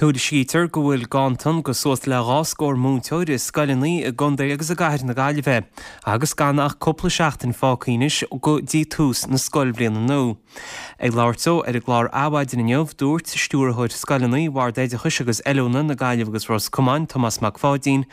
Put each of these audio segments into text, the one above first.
Tuairiscítear go bhfuil ganntan go suas le 2 scór múinteoir i scoileanna i gcontae agus i gcathair na Gaillimhe agus gan ach cúpla seachtain fágtha anois go dtí tús na scoilbhliana nua. Ag labhairt dó ar an gclár Adhmhaidin inniu, dúirt Stiúrthóir Scoileanna Bhord Oideachais agus Oiliúna na Gaillimhe agus Ros Comáin, Tomás Mac Pháidín,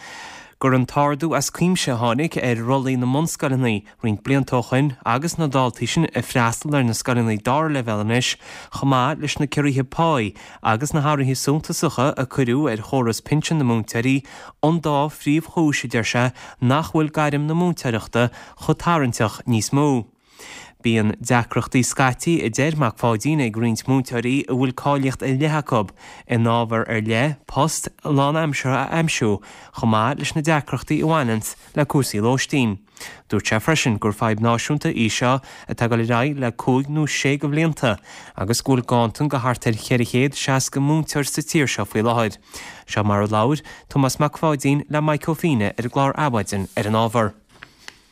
gur an t-ardú as cuimse a tháinig ar rollaí na mbunscoileanna roinnt blianta ó shoin agus na daltaí sin ag freastal ar na scoileanna dara leibhéal anois chomh maith leis na ciorruithe páí agus na hathruithe suntasacha a cuireadh ar chóras pinsean na múinteoirí an dá phríomhchúis a deir sé nach bhfuil gairm na múinteoireachta chomh tarraingteach níos mó. Bíonn deacrachtaí scaití a deir Mac Pháidín ag roinnt múinteoirí a bhfuil cáilíocht ar leith acu in ábhar ar leith post lánaimseartha a aimsiú chomh maith leis na deacrachtaí a bhaineanns le cúrsaí lóistín. Dúirt sé freisin gur fadhb náisiúnta í seo atá ag dul ar aghaidh le cúig nó sé de bhlianta agus go bhfuil ganntan go thart ar 460 múinteoir sa tír seo faoi láthair. Seo mar a labhair Tomás Mac Pháidín le Mike Ó Fiaine ar an gclár Adhmhaidin ar an ábhar.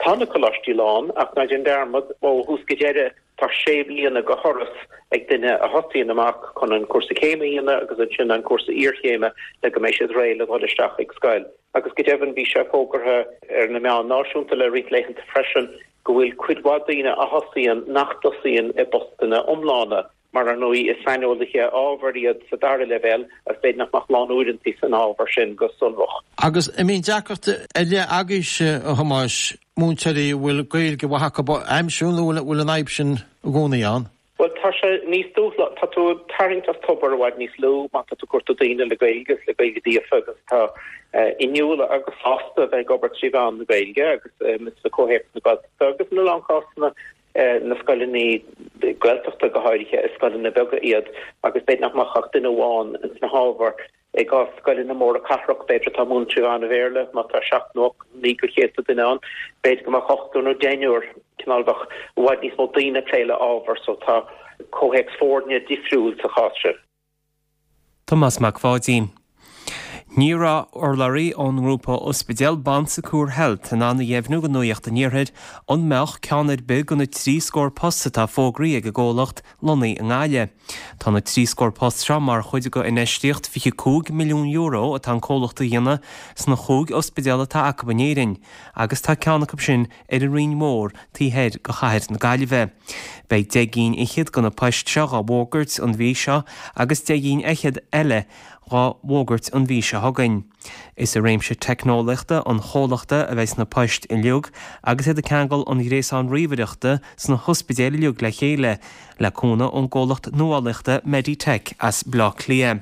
Tá na coláistí lán, ach ná déan dearmad, ó thús go deireadh, tá sé bliana de thuras ag duine a thosaíonn amach chun an cúrsa céime a dhéanamh agus ansin an cúrsa iarchéime le go mbeidh siad réidh le dhul isteach ag scoil. Agus go deimhin bhí sé fógartha ar na meáin náisiúnta le roinnt laethanta freisin go bhfuil cuid mhaith daoine a thosaíonn nach dtosaíonn i bpostanna iomlána, mar ar ndóigh is saineolaithe ábhair iad sa dara leibhéal agus b'fhéidir nach mbeadh lánuaireanta san ábhar sin go sonrach. Agus an mbíonn deacracht ar leith agaibhse, a Thomáis, múinteoirí a bhfuil Gaeilge mhaith acu a aimsiú nó an bhfuil an fhadhb sin i gcónaí ann? Bhuel, tá sé níos dúshlán, tá tú ag tarraingt as tobar i bhfad níos lú má tá tú ag cuartú daoine le Gaeilge agus le Gaeilge líofa agus atá inniúla agus sásta a bheith ag obair trí mheán na Gaeilge agus sa comhthéacs na Gaeltachta agus ina lán cásanna na scoileanna Gaeltachta go háirithe, is scoileanna beaga iad agus b'fhéidir nach mbeadh ach duine amháin ins na hábhair. I gcás scoileanna móra cathrach, b'fhéidir atá ag múineadh trí mheán an Bhéarla, má tá seacht nó ocht, naoi go chéadta duine ann, b'fhéidir go mbeadh ochtar nó deichniúr, cineál bheadh i bhfad níos mó daoine ag plé le ábhar so tá comhthéacs foirne difriúil sa chás sin. Tomás Mac Pháidín. Ní raibh urlabhraí ón ngrúpa ospidéal Bon Secours Health in ann a dheimhniú do Nuacht an Iarthair an mbeadh ceann ar bith de na 30 scór post atá fógraithe ag an gcomhlacht lonnaithe i nGaillimh. Tá na 30 scór post seo mar chuid de infheistíocht €25 milliún atá an comhlacht a dhéanamh sna chúig ospidéal atá acu in Éirinn agus tá ceann acu sin ar an Rinn Mhór taobh thoir de chathair na Gaillimhe. Beidh 10 gcinn fhichead de na poist seo dhá bhfógairt an mhí seo agus 10 gcinn fhichead eile dhá bhfógairt an mhí seo chugainn. Is i réimse teicneolaíochta an chomhlachta a bheidh na poist uilig agus iad ag ceangal an ghréasáin ríomhaireachta sna hospidéil uilig le chéile le cúnamh ón gcomhlacht nuálaíochta Meditech as Baile Átha Cliath.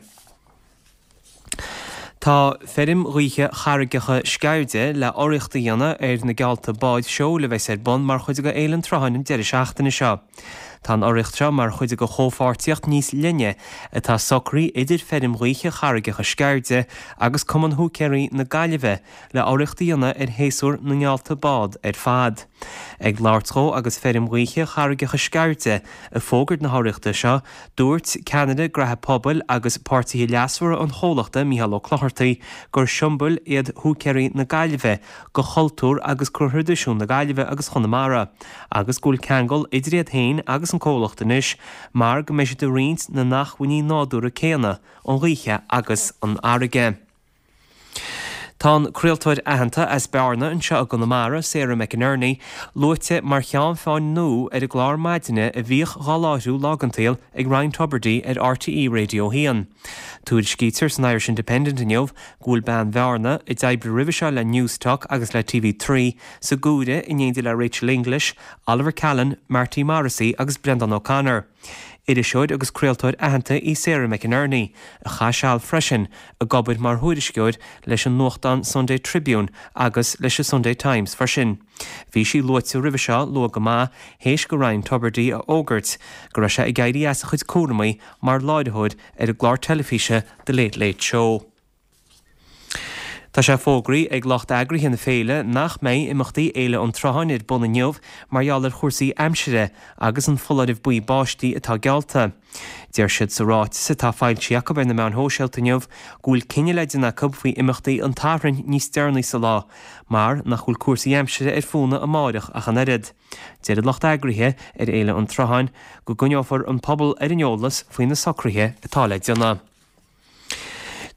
Tá feirm ghaoithe Charraigeacha Sceirde le urraíocht a dhéanamh ar na geallta báid seoil a bheas ar bun mar chuid de Fhéile an tSrutháin an deireadh seachtaine seo. Tá an urraíocht seo mar chuid de chomhpháirtíocht níos leithne atá socraithe idir feirm ghaoithe Charraigeacha Sceirde agus Cumann Húicéirí na Gaillimhe le urraíocht a dhéanamh ar shéasúr na ngeallta bád ar fad. Ag labhairt dhó agus feirm ghaoithe Charraigeacha Sceirde ag fógairt na hurraíochta seo, dúirt ceannaire Graithe Pobail agus Páirtithe Leasmhara an chomhlachta, Mícheál Ó Clochartaigh, gur siombail iad Húicéirí na Gaillimhe go chultúr agus go thraidisiún na Gaillimhe agus Chonamara agus go bhfuil ceangal idir iad féin agus an comhlacht anois mar go mbeidh siad ag roinnt na n-acmhainní nádúrtha céanna, an ghaoithe agus an fharraige. Tá an craoltóir aitheanta as Bearna anseo i gConamara, Sarah McInerney, luaite mar cheann feadhain nua ar an gclár maidine a bhíodh dhá láithriú lá den tsaol ag Ryan Tubridy ar RTÉ Radio 1. Tuairiscítear san Irish Independent inniu go bhfuil bean Bhearna, a d'oibrigh roimhe seo le Newstalk agus le TV3, sa gcomhaireamh in éindí le Rachel English, Oliver Callan, Marty Morrissey agus Brendan O'Connor. Iriseoir agus craoltóir aitheanta í Sarah McInerney, a chaith seal freisin ag obair mar thuairisceoir leis an nuachtán Sunday Tribune agus leis an Sunday Times freisin. Bhí sí luaite roimhe seo luath go maith théis go Ryan Tubridy a fhógairt go raibh sé ag éirí as a chuid cúramaí mar láithreoir ar an gclár teilifíse The Late Late Show. Tá sé fógraithe ag lucht eagraithe na féile nach mbeidh imeachtaí Fhéile an tSrutháin ar bun inniu mar gheall ar chúrsaí aimsire agus an foláireamh buí báistí atá geallta. Deir siad sa ráiteas atá foilsithe acu ar na meáin shóisialta inniu go bhfuil cinneadh le déanamh acu faoi imeachtaí an tSathairn níos deireanaí sa lá mar nach bhfuil cúrsaí aimsire ar fónamh amáireach ach an oiread. Deir an lucht eagraithe ar Fhéile an tSrutháin go gcoinneofar an pobal ar an eolas faoi na socruithe atá le déanamh.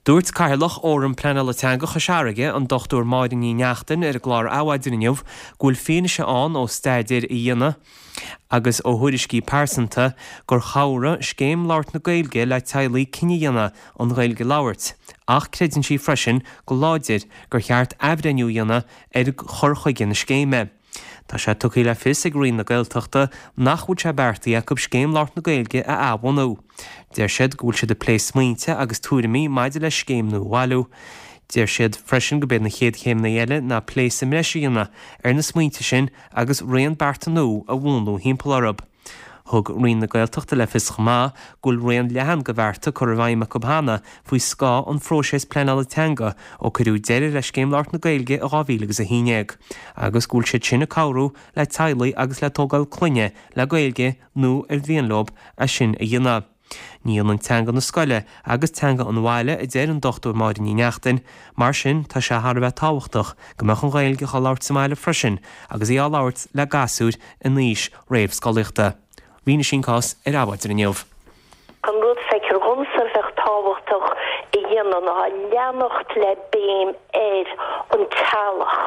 Dúirt Cathaoirleach Fhóram Pleanála Teanga Chois Fharraige, an Dr Máire Ní Neachtain ar an gclár Adhmhaidin inniu go bhfuil fianaise ann ó staidéir a dhéanadh agus ó thuairiscí pearsanta gur chabhraigh Scéim Labhairt na Gaeilge le teaghlaigh cinneadh a dhéanamh an Ghaeilge a labhairt ach creideann sí freisin go láidir gur cheart athbhreithniú a dhéanamh ar chur chuige na scéime. Tá sé tugtha le fios ag Roinn na Gaeltachta nach bhfuil sé beartaithe acu Scéim Labhairt na Gaeilge a athbhunú. Deir siad go bhfuil siad ag plé smaointe agus tuairimí maidir le scéim nua a bhailiú. Deir siad freisin gurb iad na chéad chéimeanna eile ná plé sa mbreis a dhéanamh ar na smaointe sin agus raon bearta nua a mhúnlú thimpeall orthu. Thug Roinn na Gaeltachta le fios chomh maith go bhfuil raon leathan de bhearta curtha i bhfeidhm acu cheana faoi scáth an phróiseas pleanála teanga ó cuireadh deireadh le Scéim Labhairt na Gaeilge i 2011 agus go bhfuil siad sin ag cabhrú le teaghlaigh agus le tógáil clainne le Gaeilge nó ar mhian leo é sin a dhéanamh. Ní hionann teanga na scoile agus teanga an bhaile, a deir an Dr Máire Ní Neachtain. Mar sin, tá sé thar a bheith tábhachtach go mbeadh an Ghaeilge á labhairt sa mbaile freisin agus í á labhairt le gasúir in aois réamhscolaíochta. Rinne sí an cás ar Adhmhaidin inniu. An rud feictear dhomsa a bheadh tábhachtach a dhéanamh ná leanacht le béim ar an teaghlach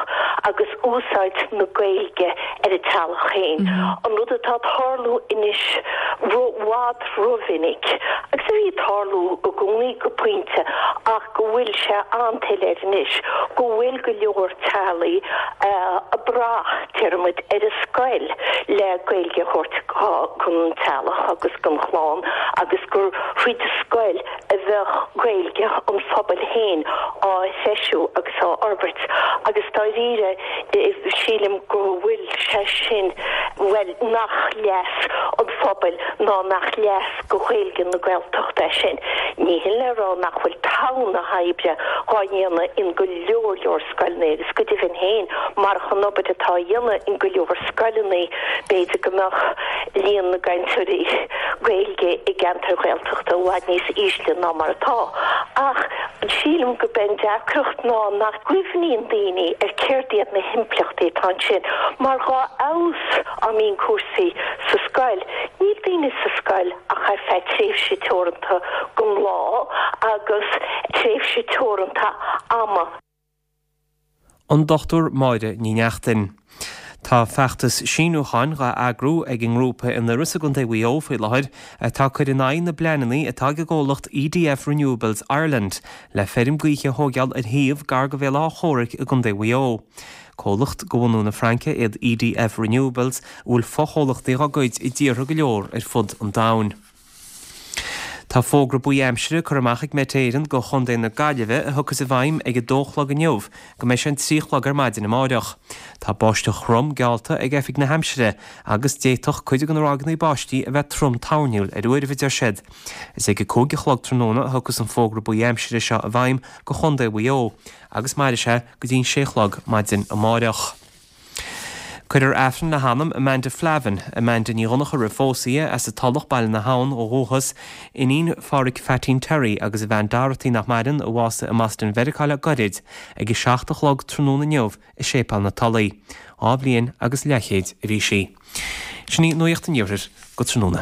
agus úsáid na Gaeilge ar an teaghlach féin. An rud atá ag tarlú anois i bhfad rómhinic, agus a bhí ag tarlú i gcónaí go pointe ach go bhfuil sé an-soiléir anois, go bhfuil go leor teaghlaigh ag brath, déarfaimid, ar an scoil le Gaeilge a thabhairt don teaghlach agus don chlann agus gur thríd an scoil a bheadh Gaeilge an phobail féin á threisiú agus á fhorbairt agus dáiríre sílim go bhfuil sé sin, bhuel, nach leas an phobail ná nach leas go Ghaeilge na Gaeltachta é sin. Ní hin le rá nach bhfuil togha na hoibre dhá dhéanamh in go leor leor scoileanna agus go deimhin féin marach an obair atá á dhéanamh in go leor scoileanna b'fhéidir go mbeadh líon na gcainteoirí Gaeilge i gceantair Ghaeltachta i bhfad níos ísle ná mar atá. Ach sílim gurb é an deacracht ná nach gcuimhníonn daoine ar céard iad na himpleachtaí atá ansin mar dhá fheabhas á mbíonn cúrsaí sa scoil, níl daoine sa scoil ach ar feadh tréimhse teoranta den lá agus tréimhse teoranta ama. An Dr Máire Ní Neachtain. Tá feachtas síniúcháin dhá eagrú ag an ngrúpa in Iorras i gContae Mhaigh Eo faoi láthair atá ag cur in aghaidh na bpleananna atá ag an gcomhlacht EDF Renewables Ireland le feirm gaoithe a thóigeáil ar shuíomh gar go Bhéal Átha Chomhraic i gContae Mhaigh Eo. Comhlacht de bhunú na Fraince iad EDF Renewables a bhfuil fochomhlachtaí dhá gcuid i dtíortha go leor ar fud an domhain. Tá fógra buí aimsire curtha amach ag Met Éireann go Chontae na Gaillimhe a thiocfas i bhfeidhm ag 2 a chlog inniu go mbeidh sé an 3 a chlog ar maidin amáireach. Tá báisteach throm geallta ag Oifig na hAimsire agus d'fhéadfadh cuid de na ráigeanna báistí a bheith trom toirniúil ar uairibh, a deir siad. Is ag 5 a chlog tráthnóna a thiocfas an fógra buí aimsire seo i bhfeidhm go Chontae Mhaigh Eo agus mairfidh sé go dtí an 6 a chlog maidin amáireach. Cuirfear Aifreann le hanam Amanda Flavin, Amanda Ní Dhonncha roimh phósadh di, as an Tulach, Baile na hAbhann ó dhúchas, iníon Phádhraic Pheaitín Terry agus a bhean Dorothy nach maireann, a bhásaigh i mBoston Mheiriceá le goirid, ag 7 a chlog tráthnóna inniu i Séipéal na Tulaí. 2 bhliain agus leathchéid a bhí sí. Sin í Nuacht an Iarthair go tráthnóna.